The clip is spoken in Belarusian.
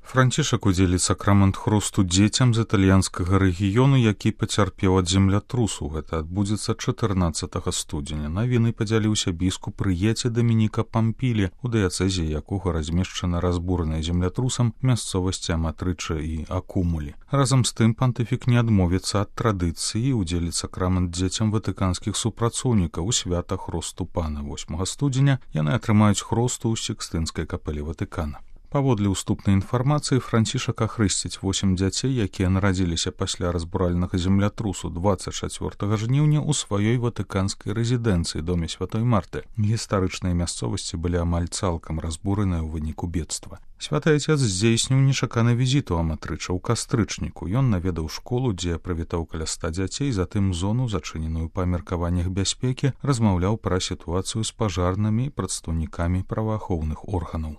Францішак удзеліць сакрамент хрусту дзецям з італьянскага рэгіёну, які пацярпеў ад землятрусу. Гэта адбудзецца 14 студзеня. Навіны падзяліўся біскуп Рыеце Дамініка Пампілі, у дыяцэзе якога размешчана разбураная землятрусам мясцовасці Аматрыча і Акумулі. Разам з тым пантыфік не адмовіцца ад традыцыі і удзеліць сакрамент дзецям ватыканскіх супрацоўнікаў у свята хрусту пана. 8 студзеня яны атрымаюць хрусту ў Сікстынскай капэлі Ватыкана. Паводле ўступнай інфармацыі, Францішак ахрысціць 8 дзяцей, якія нарадзіліся пасля разбуральнага землятрусу 24 жніўня ў сваёй ватыканскай рэзідэнцыі, доме Святой Марты. Гістарычныя мясцовасці былі амаль цалкам разбураныя ў выніку бедства. Святы Отец здзейсніў нечаканы візіт у Аматрыча ў кастрычніку. Ён наведаў школу, дзе прывітаў каля 100 дзяцей, затым зону, зачыненую па меркаваннях бяспекі, размаўляў пра сітуацыю з пажарнымі і прадстаўнікамі праваахоўных органаў.